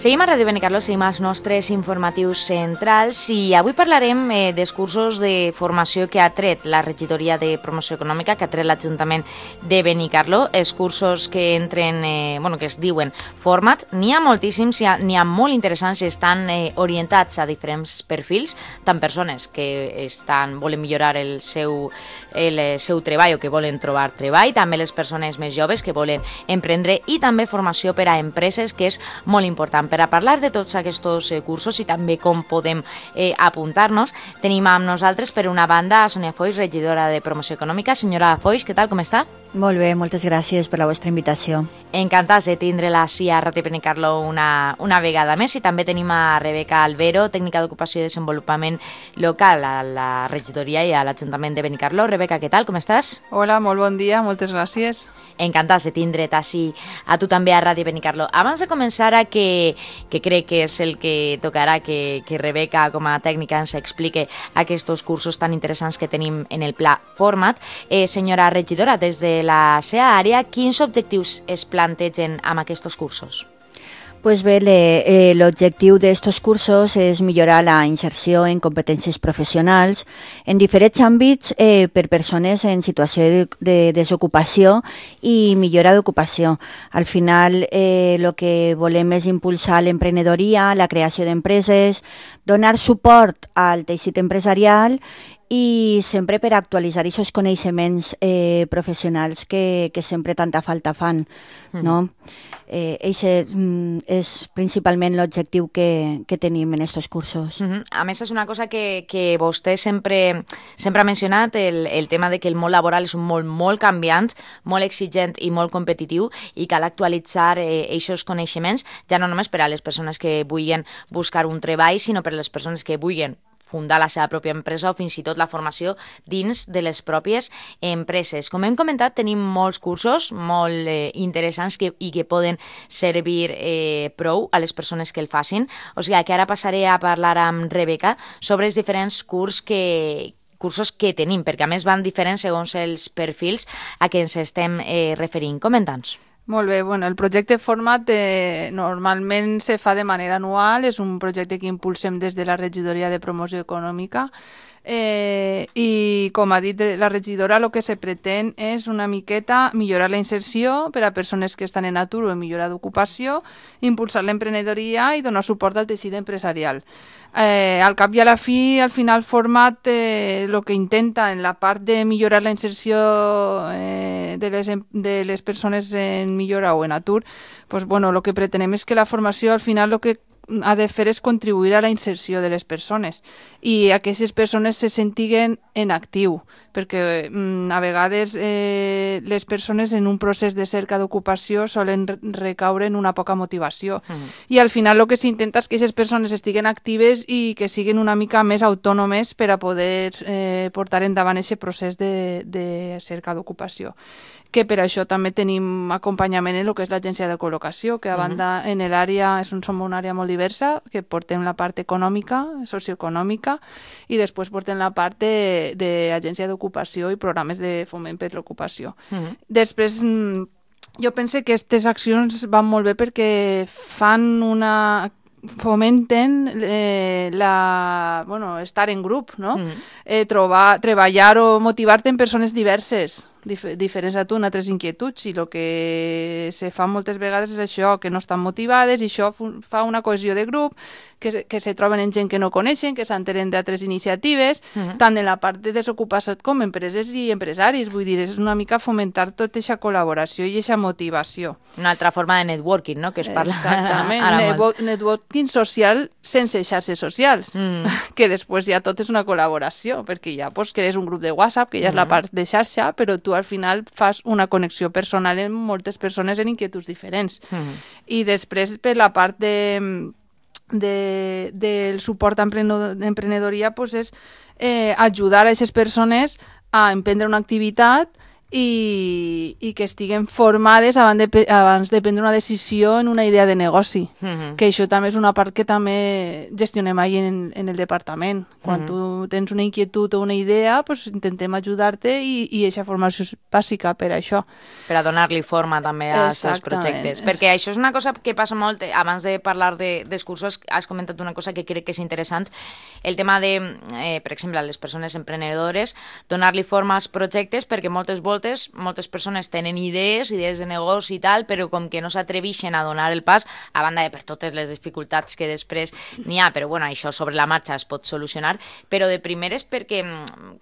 Seguim a Ràdio Benicarló, seguim als nostres informatius centrals i avui parlarem dels cursos de formació que ha tret la regidoria de promoció econòmica, que ha tret l'Ajuntament de Benicarló, els cursos que entren, que es diuen Format. N'hi ha moltíssims, n'hi ha molt interessants i estan orientats a diferents perfils, tant persones que volen millorar el seu treball o que volen trobar treball, també les persones més joves que volen emprendre i també formació per a empreses, que és molt important. Per a parlar de tots aquests cursos i també com podem apuntar-nos, tenim amb nosaltres, per una banda, a Sònia Foix, regidora de Promoció Econòmica. Senyora Foix, què tal, com està? Molt bé, moltes gràcies per la vostra invitació. Encantats de tindre-la així a Ràdio Benicarló una vegada més. I també tenim a Rebeca Albero, tècnica d'ocupació i desenvolupament local a la regidoria i a l'Ajuntament de Benicarló. Rebeca, què tal, com estàs? Hola, molt bon dia, moltes gràcies. Encantats de tindre't així a tu també a Ràdio Benicarló. Abans de començar, que crec que és el que tocarà que Rebeca, com a tècnica, ens explique aquests cursos tan interessants que tenim en el pla Format. Senyora regidora, des de la seva àrea, quins objectius es plantegen amb aquests cursos? Pues bé, l'objectiu d'estos cursos és millorar la inserció en competències professionals en diferents àmbits per persones en situació de desocupació i millora d'ocupació. Al final, el que volem és impulsar l'emprenedoria, la creació d'empreses, donar suport al teixit empresarial i sempre per actualitzar aquests coneixements professionals que sempre tanta falta fan, no? Aquest és principalment l'objectiu que tenim en aquests cursos. A més, és una cosa que vostè sempre ha mencionat, el tema de que el món laboral és un món molt canviant, molt exigent i molt competitiu, i cal actualitzar aquests coneixements, ja no només per a les persones que vulguin buscar un treball, sinó per a les persones que vulguin fundar la seva pròpia empresa o fins i tot la formació dins de les pròpies empreses. Com hem comentat, tenim molts cursos molt interessants i que poden servir prou a les persones que el facin. O sigui que ara passaré a parlar amb Rebeca sobre els diferents cursos que tenim, perquè a més van diferents segons els perfils a què ens estem referint. Comenta'ns. Molt bé, el projecte Format normalment se fa de manera anual, és un projecte que impulsem des de la regidoria de promoció econòmica i, com ha dit la regidora, el que se pretén és una miqueta millorar la inserció per a persones que estan en atur o en millora d'ocupació, impulsar l'emprenedoria i donar suport al teixit empresarial. Al cap i a la fi, al final, Format el que intenta en la part de millorar la inserció de les persones en millora o en atur, el que pretenem és que la formació al final el que ha de fer és contribuir a la inserció de les persones i a que aquestes persones se sentiguen en actiu, perquè a vegades les persones en un procés de cerca d'ocupació solen recaure en una poca motivació i al final el que s'intenta és que aquestes persones estiguen actives i que siguin una mica més autònomes per a poder portar endavant aquest procés de cerca d'ocupació. Que per això també tenim acompanyament en el que és l'agència de col·locació, que a banda en l'àrea, som una àrea molt diversa, que portem la part econòmica, socioeconòmica, i després portem la part d'agència d'ocupació i programes de foment per l'ocupació. Després, jo penso que aquestes accions van molt bé perquè fomenten estar en grup, no? Treballar o motivar-te en persones diverses, diferents a tu, en altres inquietuds, i el que se fa moltes vegades és això, que no estan motivades, i això fa una cohesió de grup, que se troben en gent que no coneixen, que s'enteren d'altres iniciatives, tant en la part de desocupació com empreses i empresaris. Vull dir, és una mica fomentar tota aquesta col·laboració i aquesta motivació. Una altra forma de networking, no?, que es parla. Exactament, networking social sense xarxes socials, que després ja tot és una col·laboració, perquè ja crees un grup de WhatsApp, que ja és la part de xarxa, però tu al final fas una connexió personal amb moltes persones en inquietuds diferents. I després, per la part del suport a emprenedoria, és ajudar a aquestes persones a emprendre una activitat i que estiguen formades abans de prendre una decisió en una idea de negoci. Que això també és una part que també gestionem ahí en el departament. Quan tu tens una inquietud o una idea, pues intentem ajudar-te i aquesta formació és bàsica per això. Per a donar-li forma també als seus projectes. Perquè això és una cosa que passa molt, abans de parlar dels cursos, has comentat una cosa que crec que és interessant, el tema de, per exemple, a les persones emprenedores, donar-li forma als projectes, perquè moltes persones tenen idees de negoci i tal, però com que no s'atreveixen a donar el pas, a banda de per totes les dificultats que després n'hi ha, però bueno, això sobre la marxa es pot solucionar, però de primeres perquè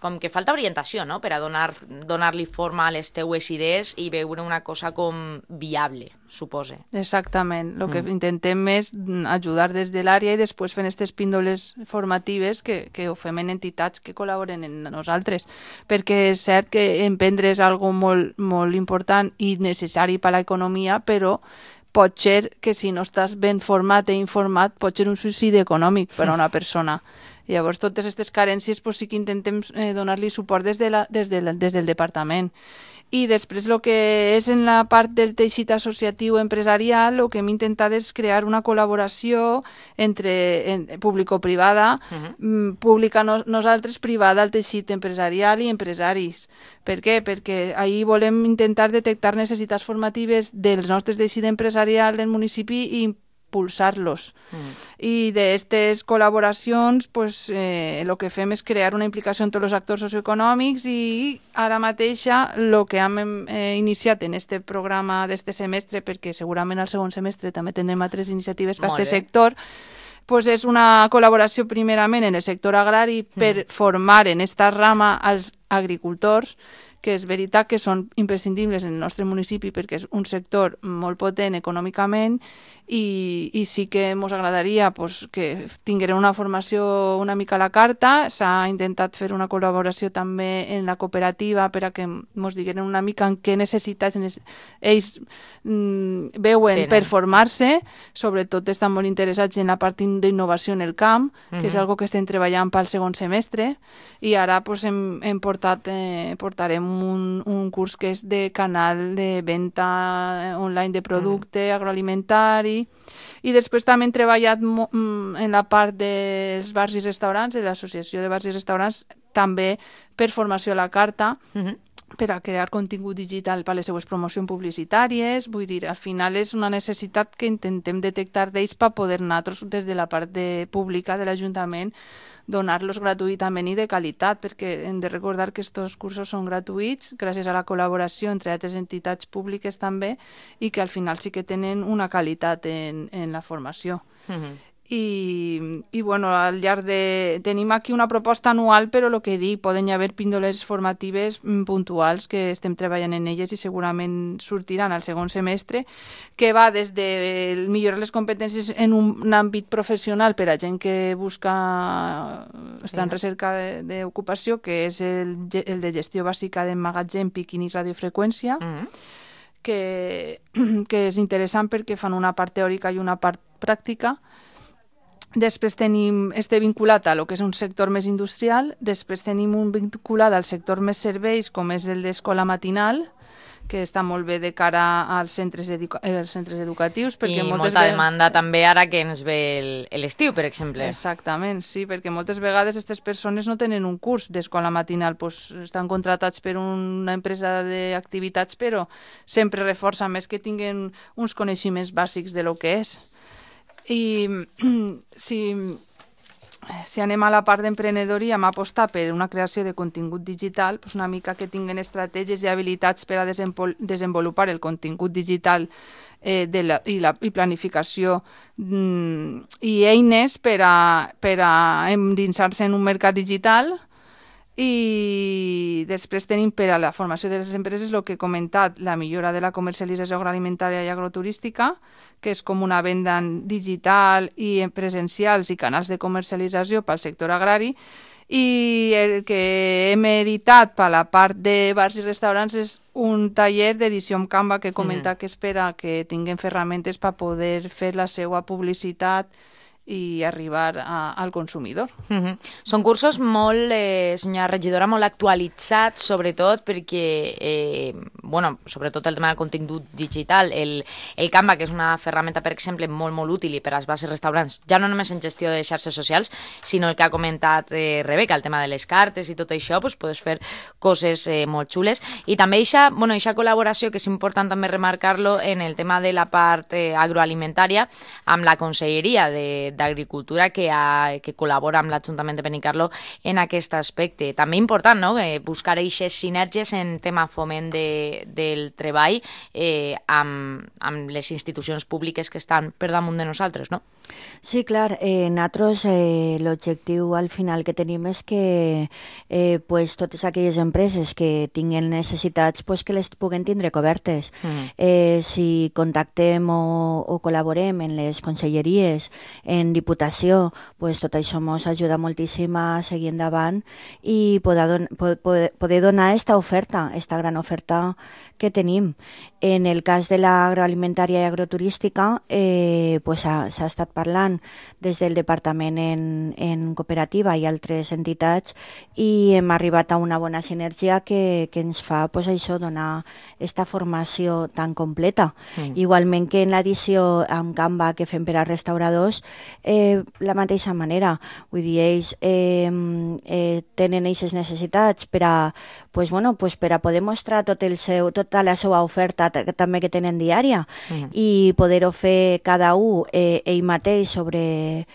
com que falta orientació, no?, per a donar-li forma a les teues idees i veure una cosa com viable, supose. Exactament. El que intentem és ajudar des de l'àrea i després fent aquestes píndoles formatives que ho fem en entitats que col·laboren en nosaltres, perquè és cert que emprendre és algo molt, molt important i necessari per a l'economia, però pot ser que si no estàs ben format i informat pot ser un suïcidi econòmic per a una persona. Llavors, totes aquestes carències sí que intentem donar-li suport des del departament. I després el que és en la part del teixit associatiu empresarial, el que hem intentat és crear una col·laboració entre público-privada, pública nosaltres, privada al teixit empresarial i empresaris. Per què? Perquè ahir volem intentar detectar necessitats formatives dels nostres teixit empresarial del municipi i impulsar-los. I d'aquestes col·laboracions el que fem és crear una implicació entre els actors socioeconòmics i ara mateix el que hem iniciat en aquest programa d'este semestre, perquè segurament al segon semestre també tindrem altres iniciatives per aquest sector, és una col·laboració primerament en el sector agrari per formar en esta rama als agricultors, que és veritat que són imprescindibles en el nostre municipi perquè és un sector molt potent econòmicament i sí que ens agradaria que tingueren una formació una mica a la carta. S'ha intentat fer una col·laboració també en la cooperativa per a que ens digueren una mica en què necessitats ells veuen per formar-se. Sobretot estan molt interessats en la part d'innovació en el camp, que és algo que estem treballant pel segon semestre, i ara portarem un curs que és de canal de venda online de producte agroalimentari, i després també hem treballat en la part dels bars i restaurants, de l'associació de bars i restaurants, també per formació a la carta, per a crear contingut digital per a les seues promocions publicitàries. Vull dir, al final és una necessitat que intentem detectar d'ells per poder nosaltres, des de la part pública de l'Ajuntament, donar-los gratuïtament i de qualitat, perquè hem de recordar que aquests cursos són gratuïts gràcies a la col·laboració entre altres entitats públiques també, i que al final sí que tenen una qualitat en la formació. I bueno, al llarg tenim aquí una proposta anual, però el que dic, poden haver píndoles formatives puntuals que estem treballant en elles i segurament sortiran al segon semestre, que va des de millorar les competències en un àmbit professional per a gent que està en recerca d'ocupació, que és el de gestió bàsica d'emmagatzem, picking i radiofreqüència, que és interessant perquè fan una part teòrica i una part pràctica. Després tenim vinculat a lo que és un sector més industrial, després tenim un vinculat al sector més serveis, com és el d'escola matinal, que està molt bé de cara als centres educatius. I molta demanda també ara que ens ve l'estiu, per exemple. Exactament, sí, perquè moltes vegades aquestes persones no tenen un curs d'escola matinal, estan contratats per una empresa d'activitats, però sempre reforça més que tinguin uns coneixements bàsics de lo que és. I si anem a la part d'emprenedoria, hem apostat per una creació de contingut digital, una mica que tinguin estratègies i habilitats per a desenvolupar el contingut digital i planificació i eines per a endinsar-se en un mercat digital. I després tenim per a la formació de les empreses el que he comentat, la millora de la comercialització agroalimentària i agroturística, que és com una venda digital i presencials i canals de comercialització pel sector agrari, i el que hem editat per la part de bars i restaurants és un taller d'edició amb Canva que he comentat que és per a que tinguin ferramentes per poder fer la seva publicitat i arribar al consumidor. Són cursos molt, senyora regidora, molt actualitzats, sobretot perquè, sobretot el tema del contingut digital, el Canva, que és una ferramenta, per exemple, molt, molt útil i per als bases restaurants, ja no només en gestió de xarxes socials, sinó el que ha comentat Rebeca, el tema de les cartes i tot això, doncs podes fer coses molt xules. I també aquesta col·laboració, que és important també remarcar-lo, en el tema de la part agroalimentària, amb la Conselleria d'Agricultura, que col·labora amb l'Ajuntament de Benicarló en aquest aspecte. També important, no?, buscar aquestes sinergies en tema foment del treball amb les institucions públiques que estan per damunt de nosaltres, no? Sí, clar. Nosaltres l'objectiu al final que tenim és que totes aquelles empreses que tinguen necessitats que les puguen tindre cobertes. Si contactem o col·laborem en les conselleries, en Diputació, tot això ens ajuda moltíssim a seguir endavant i poder donar esta gran oferta que tenim. En el cas de l'agroalimentària i agroturística, s'ha estat parlant des del Departament en cooperativa i altres entitats i hem arribat a una bona sinergia que ens fa donar esta formació tan completa. Igualment que en l'edició amb Canva que fem per a restauradors, la mateixa manera. Vull dir, ells tenen aquestes necessitats per a poder mostrar tota la seva oferta també que tenen diària i poder-ho fer cada un ell mateix sobre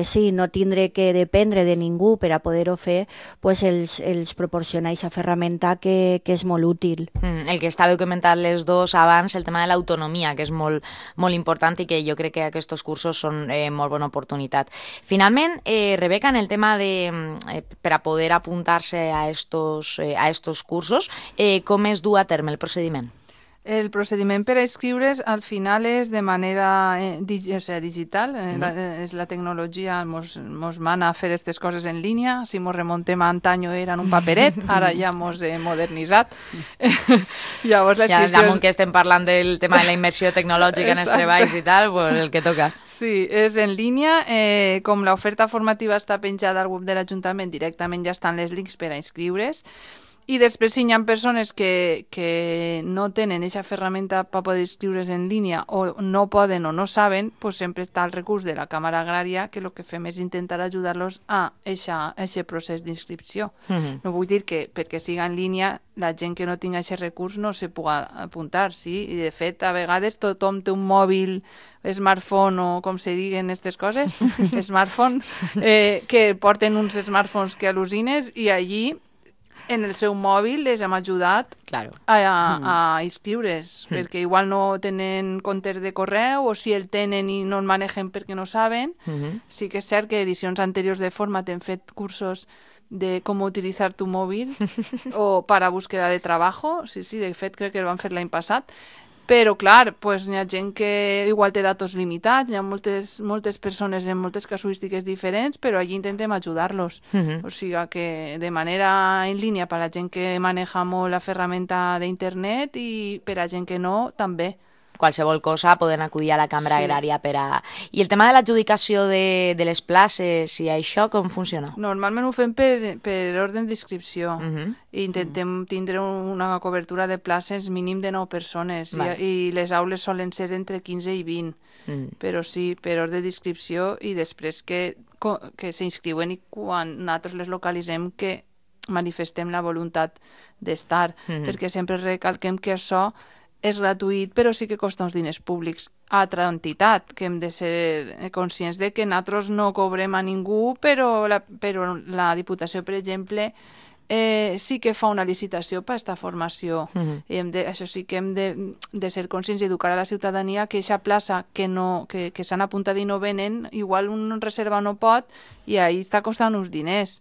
si, no tindre que dependre de ningú per a poder-ho fer, els proporciona aquesta ferramenta que és molt útil. El que estàveu comentant les dos abans, el tema de l'autonomia, que és molt, molt important i que jo crec que aquests cursos són molt bona oportunitat. Finalment, Rebeca, en el tema per a poder apuntar-se a estos cursos, com es du a terme el procediment? El procediment per a inscriure's al final és de manera digital, és la tecnologia mos mana a fer aquestes coses en línia. Si mos remontem a antanyo era en un paperet, ara ja mos he modernitzat. Llavors la inscripció... Ja damunt que estem parlant del tema de la immersió tecnològica en els treballs i tal, el que toca. Sí, és en línia. Com l'oferta formativa està penjada al web de l'Ajuntament, directament ja estan les links per a inscriure's. I després, si hi ha persones que no tenen aquesta ferramenta per poder inscriure's en línia o no poden o no saben, sempre està el recurs de la Càmera Agrària, que el que fem és intentar ajudar-los a aquest procés d'inscripció. No vull dir que perquè siga en línia la gent que no tingui aquest recurs no se pugui apuntar, sí? I de fet, a vegades tothom té un mòbil, smartphone o com se diguen aquestes coses, smartphone, que porten uns smartphones que al·lucines i allí en el seu mòbil les hem ajudat a inscriure's, perquè igual no tenen compte de correu o si el tenen i no el manegen perquè no saben. Sí que és cert que edicions anteriors de Format hem fet cursos de com utilitzar tu mòbil o para búsqueda de trabajo. Sí, de fet crec que el van fer l'any passat. Però, clar, hi ha gent que igual té datos limitats, hi ha moltes persones en moltes casuístiques diferents, però allí intentem ajudar-los. O sigui que de manera en línia per a la gent que maneja molt la ferramenta d'internet i per a gent que no, també. Qualsevol cosa poden acudir a la Càmera Agrària per a... I el tema de l'adjudicació de les places i això, com funciona? Normalment ho fem per ordre d'inscripció. I intentem tindre una cobertura de places mínim de 9 persones i les aules solen ser entre 15 i 20. Però sí, per ordre d'inscripció i després que s'inscriuen i quan nosaltres les localitzem que manifestem la voluntat d'estar. Perquè sempre recalquem que això és gratuït, però sí que costa uns diners públics a altra entitat, que hem de ser conscients de que nosaltres no cobrem a ningú, però la Diputació, per exemple, sí que fa una licitació per a aquesta formació. Això sí que hem de ser conscients i educar a la ciutadania que aquesta plaça que s'han apuntat i no venen, igual un reserva no pot i ahí està costant uns diners.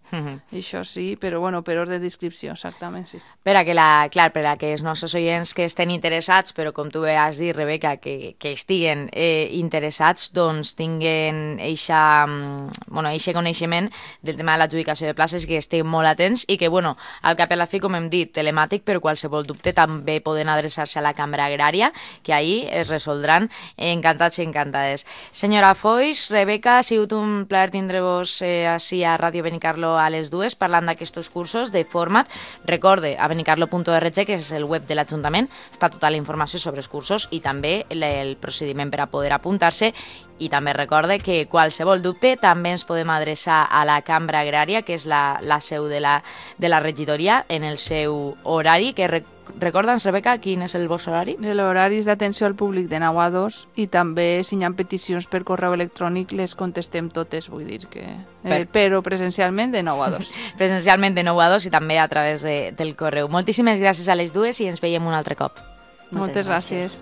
Això sí, però bueno, per ordre d'inscripció, exactament, sí. Per a que els nostres oients que estem interessats, però com tu has dit, Rebeca, que estiguen interessats, doncs tinguen eixe coneixement del tema de l'adjudicació de places, que estiguin molt atents i que, bueno, al cap i a la fi, com hem dit, telemàtic, però qualsevol dubte també poden adreçar-se a la Cambra Agrària, que ahir es resoldran encantats i encantades. Senyora Foix, Rebeca, ha sigut un plaer tindre-vos així a Ràdio Benicarló a les dues parlant d'aquests cursos de format. Recorde, a benicarlo.org, que és el web de l'Ajuntament, està tota la informació sobre els cursos i també el procediment per a poder apuntar-se. I també recorde que qualsevol dubte també ens podem adreçar a la Cambra Agrària, que és la seu de la regidoria, en el seu horari, que recorda'ns, Rebeca, quin és el vostre horari? L'horari és d'atenció al públic de 9 a 2 i també si hi ha peticions per correu electrònic les contestem totes, vull dir que... però presencialment de 9 a 2. Presencialment de 9 a 2 i també a través del correu. Moltíssimes gràcies a les dues i ens veiem un altre cop. Moltes gràcies.